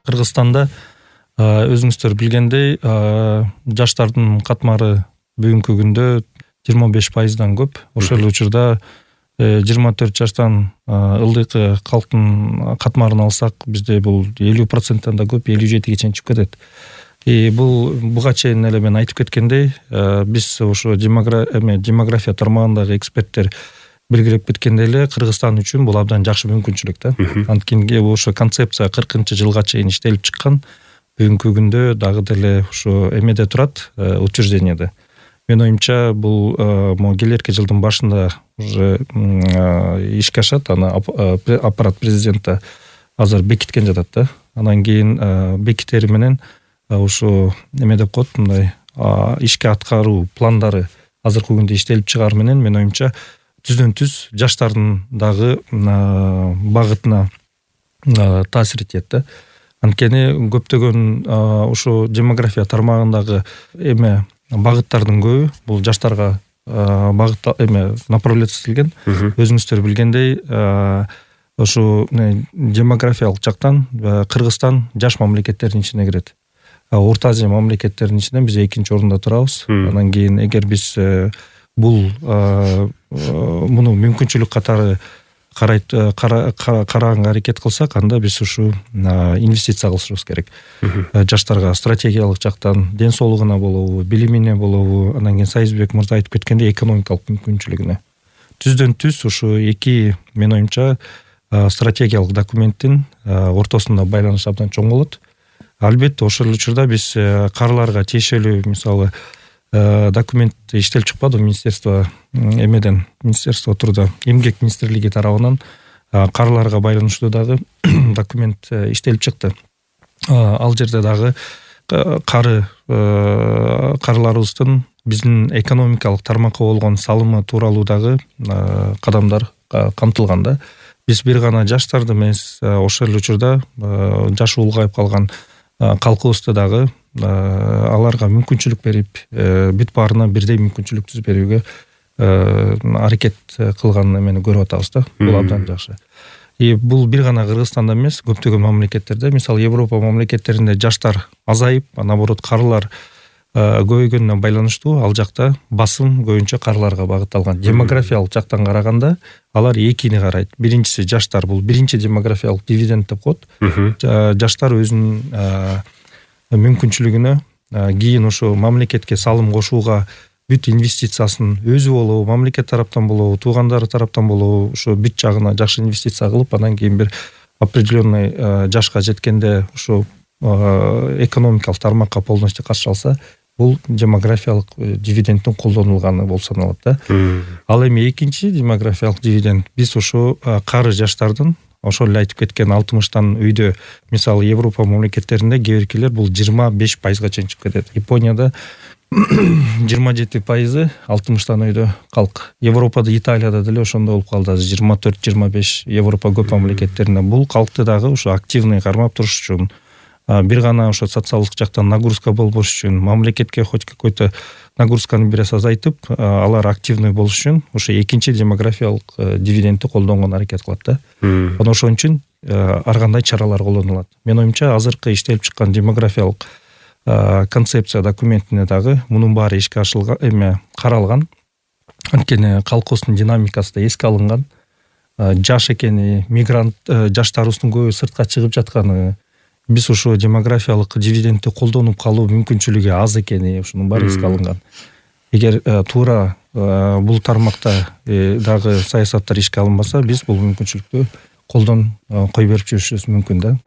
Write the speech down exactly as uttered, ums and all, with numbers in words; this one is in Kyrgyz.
Кыргызстанда өзүңүздөр билгендей жаштардын катмары бүгүнкү күндө жыйырма беш пайыздан көп. Ошол учурда жыйырма төрт жаштан ылдыйкы калктын катмарын алсак, бизде бул элүү проценттен да көп, элүү жетиге чейин чыгып кетет. И бул буга чейин эле мен айтып кеткендей, биз ошо демография тармагындагы эксперттер белгилеп кеткендей эле, Кыргызстан үчүн бул абдан жакшы мүмкүнчүлүк да. Анткени ошо концепция кыркынчы жылга чейин иштелип чыккан. Бүгүнкү күндө дагы деле ошо эмеде турат, утверждениеде. Мен оюмча бул могу келерки жылдын башында уже ишке ашат, аны аппарат президента азыр бекиткен жатат да. Анан кийин бекитери менен ошо эме деп коет, мындай ишке аткаруу пландары азыркы күндө иштелип чыгаар менен мен оюмча түздөн түз жаштардын дагы багытына таасир этет да. Анткени көптөгөн ошо демография тармагындагы эме багыттардын көбү бул жаштарга багыт эме направляцияланган. Өзүңүздөр билгендей, ошо демографиялык жактан Кыргызстан жаш мамлекеттердин ичине кирет. Орто Азия мамлекеттеринин ичинен биз экинчи орунда турабыз. Анан кийин эгер биз бул муну мүмкүнчүлүк катары карайт караганга аракет кылсак, анда биз ушу инвестиция кылышыбыз керек. Жаштарга стратегиялык жактан ден соолугуна болобу, билимине болобу, анан кийин Сайызбек мырза айтып кеткендей экономикалык мүмкүнчүлүгүнө. Түздөн түз ушу эки, мен оюмча, стратегиялык документтин ортосунда байланыш абдан чоң болот. Албетте ошол учурда биз каарыларга тиешелүү, мисалы, документ иштелип чыкпады министерство эмеден, министерство труда, эмгек министрлиги тарабынан каарыларга байланыштуу дагы документ иштелип чыкты. Ал жерде дагы кары каарыларыбыздын биздин экономикалык тармакка болгон салымы тууралуу дагы кадамдар камтылган да. Биз бир гана жаштарды эмес, ошол учурда жашы улгайып калган калкыбызды дагы аларга мүмкүнчүлүк берип, бүт баарына бирдей мүмкүнчүлүк түзүп берүүгө аракет кылган эмени көрүп атабыз да. Бул абдан жакшы. И бул бир гана Кыргызстанда эмес, көптөгөн мамлекеттерде, мисалы Европа мамлекеттеринде жаштар азайып, наоборот каарылар көбөйгөнүнө байланыштуу, ал жакта басым көбүнчө каарыларга багытталган. Демографиялык жактан караганда алар экини карайт. Биринчиси жаштар, бул биринчи демографиялык дивиденд деп коет. Жаштар өзүнүн мүмкүнчүлүгүнө кийин ошо мамлекетке салым кошууга бүт инвестициясын өзү болобу, мамлекет тараптан болобу, туугандары тараптан болобу, ошо бүт жагына жакшы инвестиция кылып, анан кийин бир определенный жашка жеткенде ошо экономикалык тармакка полностью каршы алса, бул демографиялык дивидендтин колдонулганы болуп саналат да. Ал эми экинчи демографиялык дивиденд биз ошо кары жаштардын, ошол эле айтып кеткен алтымыштан үйдө, мисалы Европа мамлекеттеринде кээ биркилер бул жыйырма беш пайызга чейин чыгып кетет. Японияда жыйырма жети пайызы алтымыштан үйдө калк. Европада, Италияда деле ошондой болуп калды. жыйырма төрт жыйырма беш Европа көп мамлекеттеринде бул калкты дагы ошо активный кармап туруш үчүн, бир гана ошо социалдык жактан нагрузка болбош үчүн, мамлекетке хоть какой-то нагрузканы бир аз азайтып, алар активный болуш үчүн ошо экинчи демографиялык дивидендти колдонгонго аракет кылат да. Анан ошон үчүн ар кандай чаралар колдонулат. Мен оюмча азыркы иштелип чыккан демографиялык концепция документине дагы мунун баары ишке ашылган, эме каралган. Анткени калкыбыздын динамикасы да эске алынган. Жаш экени, мигрант жаштарыбыздын көбү сыртка чыгып жатканы, биз ошо демографиялык дивидендти колдонуп калуу мүмкүнчүлүгү аз экени, ушунун баары эске алынган. Эгер туура бул тармакта дагы саясаттар ишке алынбаса, биз бул мүмкүнчүлүктү колдон кой берип жүрүшүбүз мүмкүн да.